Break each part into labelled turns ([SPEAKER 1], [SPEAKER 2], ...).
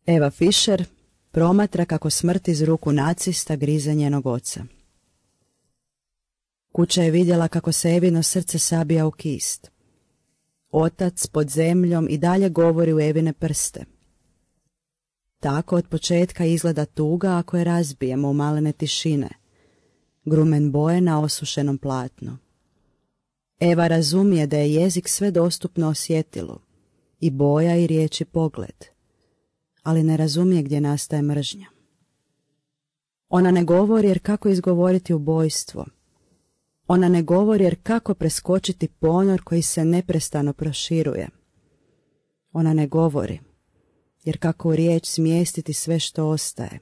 [SPEAKER 1] Eva Fischer promatra kako smrt iz ruku nacista grize njenog oca. Kuća je vidjela kako se Evino srce sabija u kist. Otac pod zemljom i dalje govori u Evine prste. Tako od početka izgleda tuga ako je razbijemo u malene tišine, grumen boje na osušenom platnu. Eva razumije da je jezik sve dostupno osjetilu, i boja i riječ i pogled, ali ne razumije gdje nastaje mržnja. Ona ne govori jer kako izgovoriti ubojstvo. Ona ne govori jer kako preskočiti ponor koji se neprestano proširuje. Ona ne govori jer kako u riječ smjestiti sve što ostaje.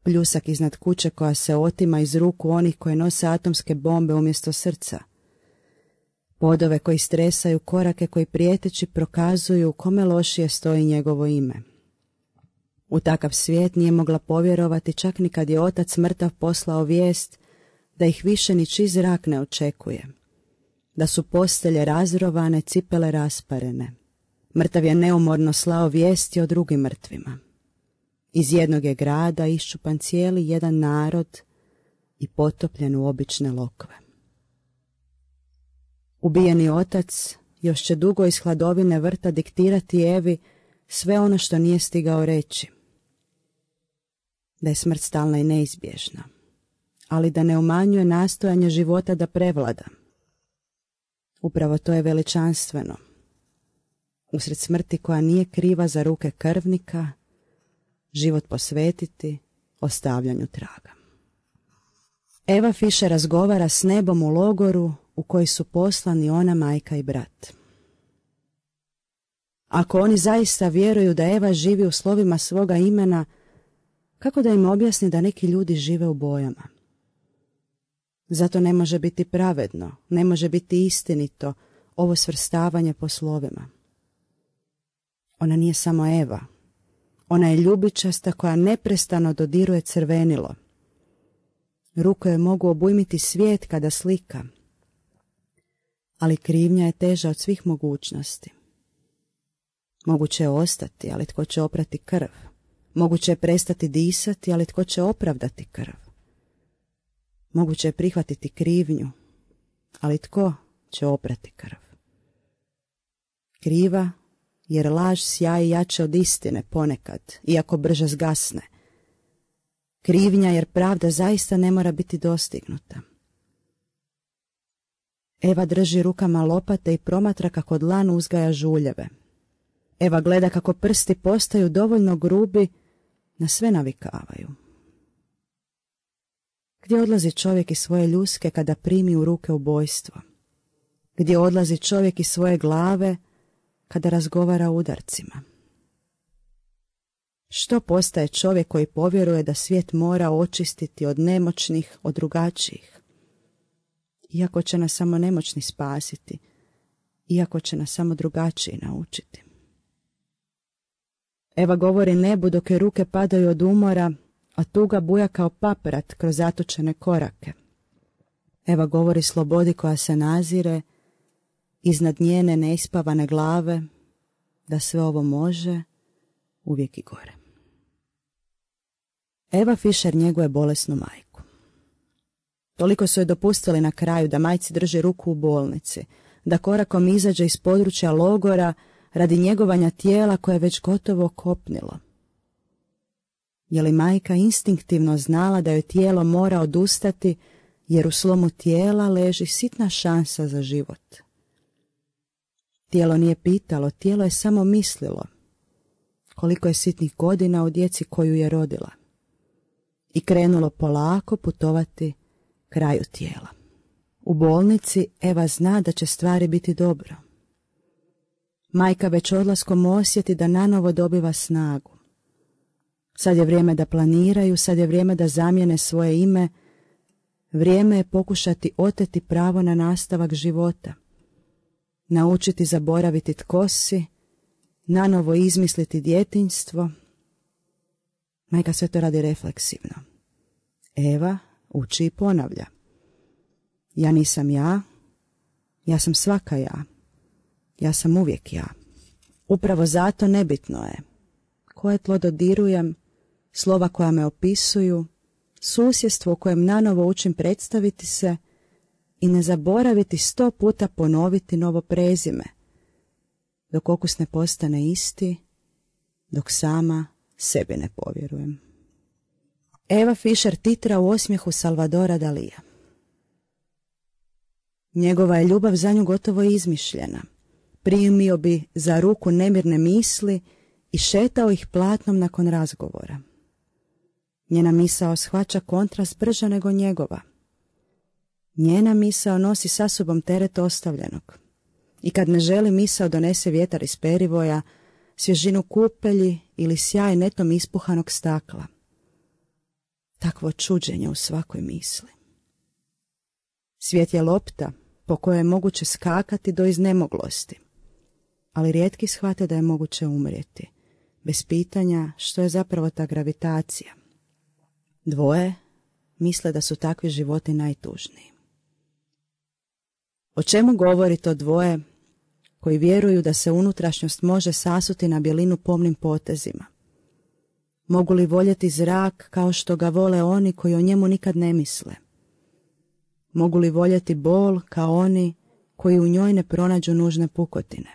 [SPEAKER 1] Pljusak iznad kuće koja se otima iz ruku onih koji nose atomske bombe umjesto srca. Podove koji stresaju, korake koji prijeteći prokazuju kome lošije stoji njegovo ime. U takav svijet nije mogla povjerovati čak ni kad je otac mrtav poslao vijest da ih više ničiji zrak ne očekuje, da su postelje razrovane, cipele rasparene. Mrtav je neumorno slao vijesti o drugim mrtvima. Iz jednog je grada iščupan cijeli jedan narod i potopljen u obične lokve. Ubijeni otac još će dugo iz hladovine vrta diktirati Evi sve ono što nije stigao reći. Da je smrt stalna i neizbježna, ali da ne umanjuje nastojanje života da prevlada. Upravo to je veličanstveno. Usred smrti koja nije kriva za ruke krvnika, život posvetiti ostavljanju traga. Eva Fischer razgovara s nebom u logoru u koji su poslani ona, majka i brat. Ako oni zaista vjeruju da Eva živi u slovima svoga imena, kako da im objasni da neki ljudi žive u bojama? Zato ne može biti pravedno, ne može biti istinito ovo svrstavanje po slovima. Ona nije samo Eva. Ona je ljubičasta koja neprestano dodiruje crvenilo. Ruke joj mogu obujmiti svijet kada slika. Ali krivnja je teža od svih mogućnosti. Moguće je ostati, ali tko će oprati krv? Moguće je prestati disati, ali tko će opravdati krv? Moguće je prihvatiti krivnju, ali tko će oprati krv? Kriva, jer laž sjaji jače od istine ponekad, iako brže zgasne. Krivnja jer pravda zaista ne mora biti dostignuta. Eva drži rukama lopate i promatra kako dlan uzgaja žuljeve. Eva gleda kako prsti postaju dovoljno grubi, na sve navikavaju. Gdje odlazi čovjek iz svoje ljuske kada primi u ruke ubojstvo? Gdje odlazi čovjek iz svoje glave kada razgovara o udarcima? Što postaje čovjek koji povjeruje da svijet mora očistiti od nemoćnih, od drugačijih? Iako će nas samo nemoćni spasiti, iako će nas samo drugačiji naučiti. Eva govori nebu dok je ruke padaju od umora, a tuga buja kao paprat kroz zatočene korake. Eva govori slobodi koja se nazire, iznad njene neispavane glave, da sve ovo može, uvijek i gore. Eva Fischer njeguje bolesnu majku. Toliko su joj dopustili na kraju da majci drži ruku u bolnici, da korakom izađe iz područja logora radi njegovanja tijela koje je već gotovo kopnilo. Je li majka instinktivno znala da joj tijelo mora odustati, jer u slomu tijela leži sitna šansa za život? Tijelo nije pitalo, tijelo je samo mislilo koliko je sitnih godina u djeci koju je rodila i krenulo polako putovati kraju tijela. U bolnici Eva zna da će stvari biti dobro. Majka već odlaskom osjeti da nanovo dobiva snagu. Sad je vrijeme da planiraju, sad je vrijeme da zamijene svoje ime, vrijeme je pokušati oteti pravo na nastavak života, naučiti zaboraviti tko si, nanovo izmisliti djetinjstvo. Majka sve to radi refleksivno. Eva uči i ponavlja. Ja nisam ja, ja sam svaka ja sam uvijek ja. Upravo zato nebitno je koje tlo dodirujem, slova koja me opisuju, susjedstvo u kojem nanovo učim predstaviti se i ne zaboraviti 100 puta ponoviti novo prezime, dok okus ne postane isti, dok sama sebi ne povjerujem. Eva Fischer titra u osmijehu Salvadora Dalija. Njegova je ljubav za nju gotovo izmišljena. Primio bi za ruku nemirne misli i šetao ih platnom nakon razgovora. Njena misao shvaća kontrast brža nego njegova. Njena misao nosi sa sobom teret ostavljenog. I kad ne želi, misao donese vjetar iz perivoja, svježinu kupelji ili sjaj netom ispuhanog stakla. Takvo čuđenje u svakoj misli. Svijet je lopta po kojoj je moguće skakati do iznemoglosti, ali rijetki shvate da je moguće umrijeti, bez pitanja što je zapravo ta gravitacija. Dvoje misle da su takvi životi najtužniji. O čemu govori to dvoje koji vjeruju da se unutrašnjost može sasuti na bjelinu pomnim potezima? Mogu li voljeti zrak kao što ga vole oni koji o njemu nikad ne misle? Mogu li voljeti bol kao oni koji u njoj ne pronađu nužne pukotine?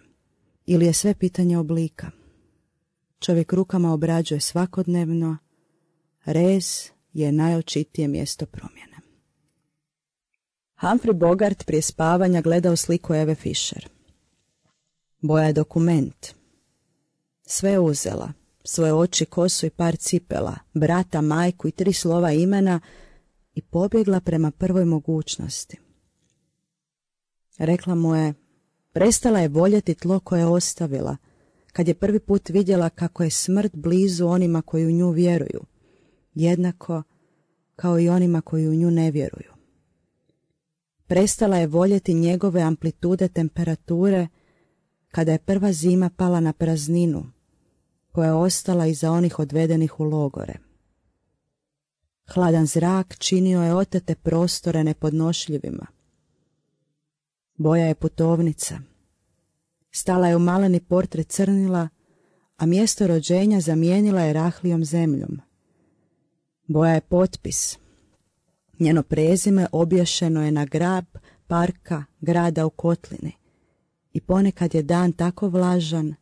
[SPEAKER 1] Ili je sve pitanje oblika? Čovjek rukama obrađuje svakodnevno, rez je najočitije mjesto promjene. Humphrey Bogart prije spavanja gleda u sliku Eve Fischer. Boja je dokument. Sve je uzela, svoje oči, kosu i par cipela, brata, majku i 3 slova imena i pobjegla prema prvoj mogućnosti. Rekla mu je, prestala je voljeti tlo koje je ostavila, kad je prvi put vidjela kako je smrt blizu onima koji u nju vjeruju, jednako kao i onima koji u nju ne vjeruju. Prestala je voljeti njegove amplitude temperature kada je prva zima pala na prazninu, koja je ostala iza onih odvedenih u logore. Hladan zrak činio je otete prostore nepodnošljivima. Boja je putovnica. Stala je u maleni portret crnila, a mjesto rođenja zamijenila je rahlijom zemljom. Boja je potpis. Njeno prezime obješeno je na grab parka grada u kotlini i ponekad je dan tako vlažan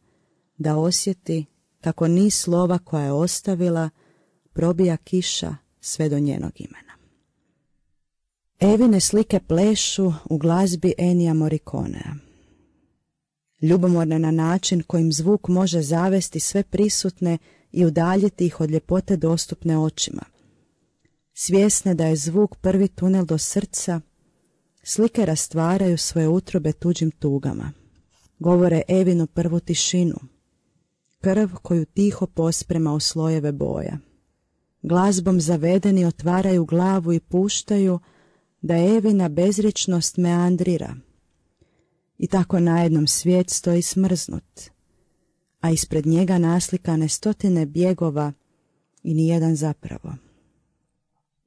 [SPEAKER 1] da osjeti kako niz slova koja je ostavila probija kiša sve do njenog imena. Evine slike plešu u glazbi Ennija Morriconea. Ljubomorne na način kojim zvuk može zavesti sve prisutne i udaljiti ih od ljepote dostupne očima. Svjesne da je zvuk prvi tunel do srca, slike rastvaraju svoje utrobe tuđim tugama. Govore Evinu prvu tišinu, krv koju tiho posprema u slojeve boja. Glazbom zavedeni otvaraju glavu i puštaju da Evina bezričnost meandrira. I tako najednom svijet stoji smrznut, a ispred njega naslikane stotine bjegova i nijedan zapravo.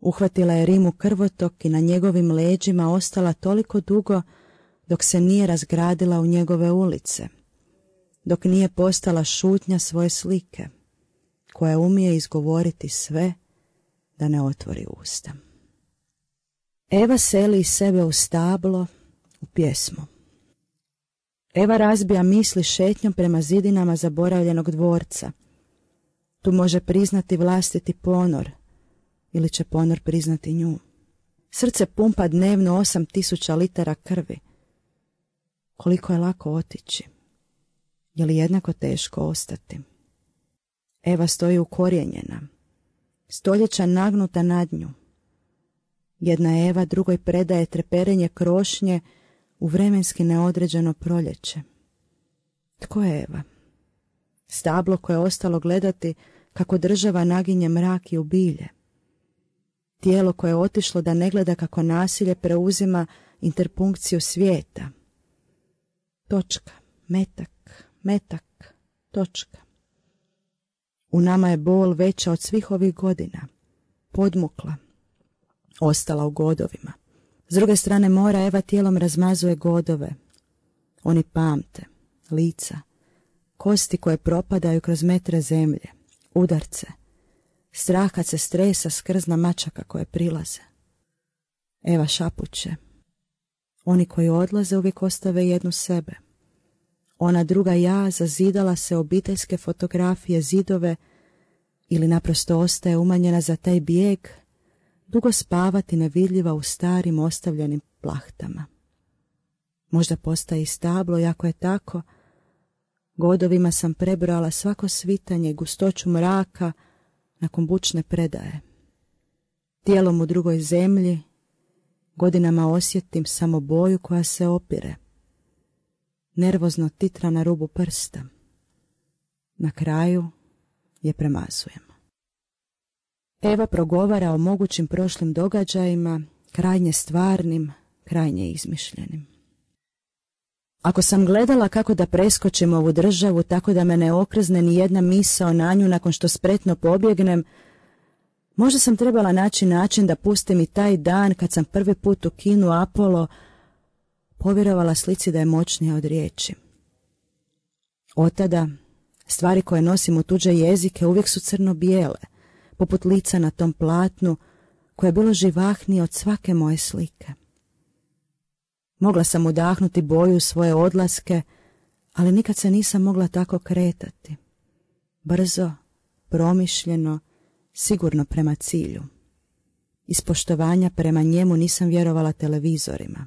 [SPEAKER 1] Uhvatila je Rimu krvotok i na njegovim leđima ostala toliko dugo dok se nije razgradila u njegove ulice, dok nije postala šutnja svoje slike, koja umije izgovoriti sve da ne otvori usta. Eva seli iz sebe u stablo, u pjesmu. Eva razbija misli šetnjom prema zidinama zaboravljenog dvorca. Tu može priznati vlastiti ponor, ili će ponor priznati nju. Srce pumpa dnevno 8000 litara krvi. Koliko je lako otići? Je li jednako teško ostati? Eva stoji ukorijenjena, stoljeća nagnuta nad nju. Jedna Eva drugoj predaje treperenje krošnje u vremenski neodređeno proljeće. Tko je Eva? Stablo koje je ostalo gledati kako država naginje mrak i ubilje. Tijelo koje je otišlo da ne gleda kako nasilje preuzima interpunkciju svijeta. Točka, metak, metak, točka. U nama je bol veća od svih ovih godina, podmukla, ostala u godovima. S druge strane mora Eva tijelom razmazuje godove. Oni pamte, lica, kosti koje propadaju kroz metre zemlje, udarce, strah kad se stresa s krzna mačaka koje prilaze. Eva šapuće. Oni koji odlaze uvijek ostave jednu sebe. Ona druga ja zazidala se obiteljske fotografije, zidove ili naprosto ostaje umanjena za taj bijeg, dugo spavati nevidljiva u starim ostavljenim plahtama. Možda postaje i stablo, i ako je tako, godovima sam prebrala svako svitanje i gustoću mraka nakon bučne predaje. Tijelom u drugoj zemlji godinama osjetim samo boju koja se opire. Nervozno titra na rubu prsta. Na kraju je premazujem. Eva progovara o mogućim prošlim događajima, krajnje stvarnim, krajnje izmišljenim. Ako sam gledala kako da preskočim ovu državu tako da me ne okrzne ni jedna misao na nju nakon što spretno pobjegnem, možda sam trebala naći način da pustim i taj dan kad sam prvi put u kinu Apollo povjerovala slici da je moćnija od riječi. Otada, stvari koje nosim u tuđe jezike uvijek su crno-bijele, poput lica na tom platnu koje je bilo živahnije od svake moje slike. Mogla sam udahnuti boju u svoje odlaske, ali nikad se nisam mogla tako kretati. Brzo, promišljeno, sigurno prema cilju. Iz poštovanja prema njemu nisam vjerovala televizorima.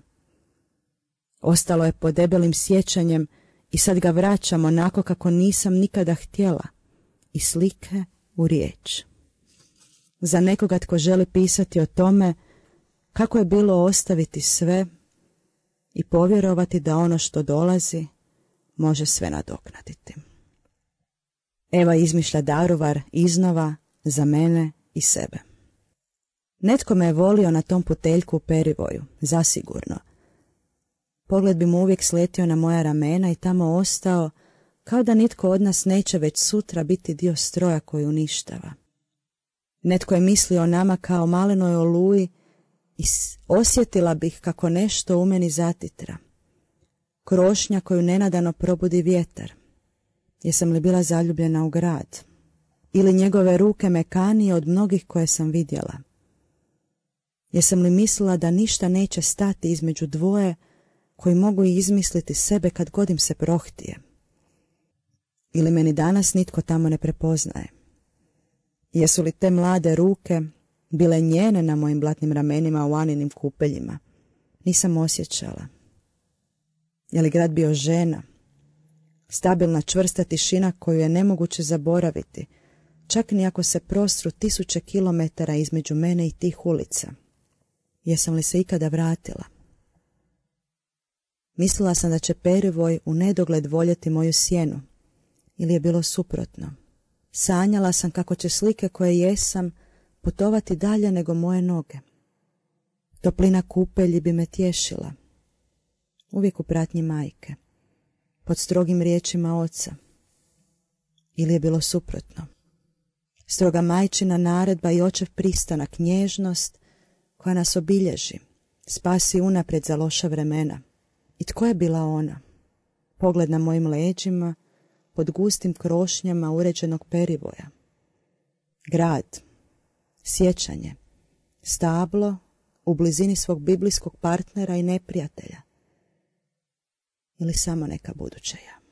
[SPEAKER 1] Ostalo je pod debelim sjećanjem i sad ga vraćam onako kako nisam nikada htjela, iz slike u riječ. Za nekoga tko želi pisati o tome kako je bilo ostaviti sve i povjerovati da ono što dolazi može sve nadoknaditi. Eva izmišlja Daruvar iznova za mene i sebe. Netko me je volio na tom puteljku u Perivoju, zasigurno. Pogled bi mu uvijek sletio na moja ramena i tamo ostao, kao da nitko od nas neće već sutra biti dio stroja koji uništava. Netko je mislio o nama kao malenoj oluji i osjetila bih kako nešto u meni zatitra. Krošnja koju nenadano probudi vjetar. Jesam li bila zaljubljena u grad? Ili njegove ruke mekanije od mnogih koje sam vidjela? Jesam li mislila da ništa neće stati između dvoje koji mogu izmisliti sebe kad god im se prohtije? Ili meni danas nitko tamo ne prepoznaje? Jesu li te mlade ruke bile njene na mojim blatnim ramenima u Aninim kupeljima? Nisam osjećala. Je li grad bio žena? Stabilna čvrsta tišina koju je nemoguće zaboraviti, čak ni ako se prostru 1000 kilometara između mene i tih ulica. Jesam li se ikada vratila? Mislila sam da će Perivoj u nedogled voljeti moju sjenu. Ili je bilo suprotno? Sanjala sam kako će slike koje jesam putovati dalje nego moje noge. Toplina kupelji bi me tješila. Uvijek u pratnji majke. Pod strogim riječima oca. Ili je bilo suprotno? Stroga majčina naredba i očev pristanak, nježnost koja nas obilježi, spasi unaprijed za loša vremena. I tko je bila ona? Pogled na mojim leđima, pod gustim krošnjama uređenog Perivoja. Grad, sjećanje, stablo u blizini svog biblijskog partnera i neprijatelja. Ili samo neka buduća ja.